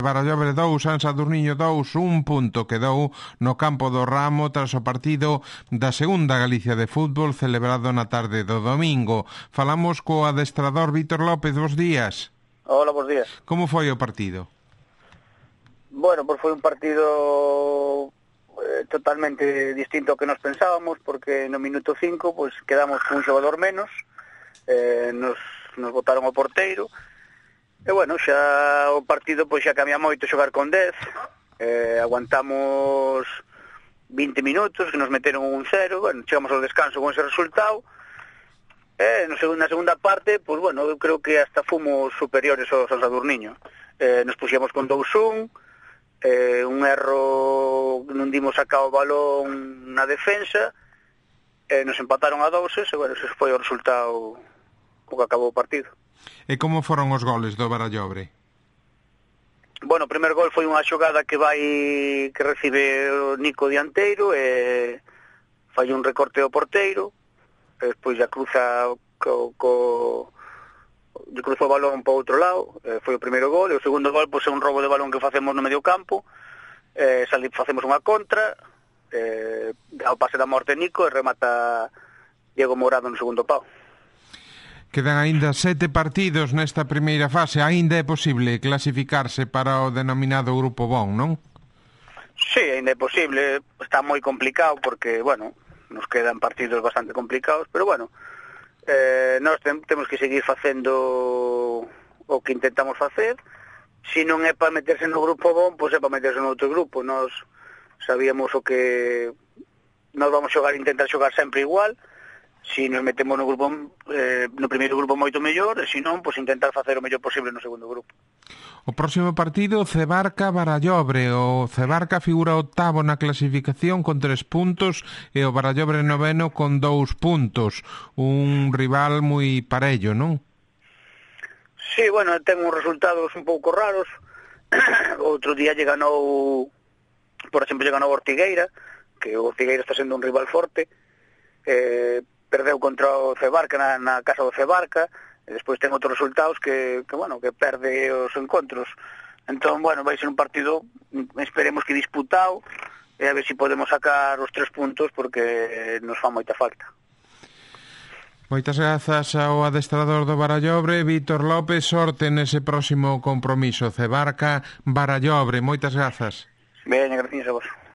Barallobre 2, San Sadurniño 2, un punto quedou no campo do Ramo tras o partido da segunda Galicia de fútbol celebrado na tarde do domingo. Falamos co adestrador Vítor López, bos días. Hola, bos días. Como foi o partido? Bueno, pues foi un partido totalmente distinto ao que nos pensábamos, porque no minuto 5 pues quedamos con un xogador menos, nos botaron o porteiro. E bueno, xa o partido pois xa cambia moito xogar con 10. Aguantamos 20 minutos, que nos meteron un 0, bueno, chegamos ao descanso con ese resultado. Na segunda parte, pois bueno, eu creo que hasta fomos superiores ao San Sadurniño. Nos puxemos con 2-1, un erro, non dimos sacar o balón na defensa, nos empataron a 2, e bueno, ese foi o resultado o que acabou o partido. E como foron os goles do Barallobre? Bueno, o primer gol foi unha xogada que recibe o Nico dianteiro e fai un recorte ao porteiro, e despois já cruza o balón para o outro lado, foi o primeiro gol. E o segundo gol pois é un robo de balón que facemos no medio campo, facemos unha contra, ao pase da morte Nico e remata Diego Mourado no segundo pau. Quedan aínda 7 partidos nesta primeira fase. Aínda é posible clasificarse para o denominado Grupo Bon, non? Sí, aínda é posible. Está moi complicado porque, bueno, nos quedan partidos bastante complicados, pero bueno, nós temos que seguir facendo o que intentamos facer. Se non é para meterse no Grupo Bon, pois é para meterse no outro grupo. Nós sabíamos o que nós vamos intentar xogar sempre igual. Se nos metemos no grupo, no primeiro grupo moito mellor, e se non, pois intentar facer o mellor posible no segundo grupo. O próximo partido, Cebarca-Barallobre. O Cebarca figura octavo na clasificación con 3 puntos e o Barallobre noveno con 2 puntos. Un rival moi parello, non? Sí, bueno, ten uns resultados un pouco raros. Outro día lle ganou, por exemplo, lle ganou Ortigueira, que o Ortigueira está sendo un rival forte. Perdeu contra o Cebarca na casa do Cebarca, e despois ten outros resultados que perde os encontros. Entón, bueno, vai ser un partido, esperemos que disputado, e a ver se podemos sacar os 3 puntos, porque nos fa moita falta. Moitas grazas ao adestrador do Barallobre, Vítor López. Sorte nese próximo compromiso, Cebarca-Barallobre. Moitas grazas. Ben, gracias a vos.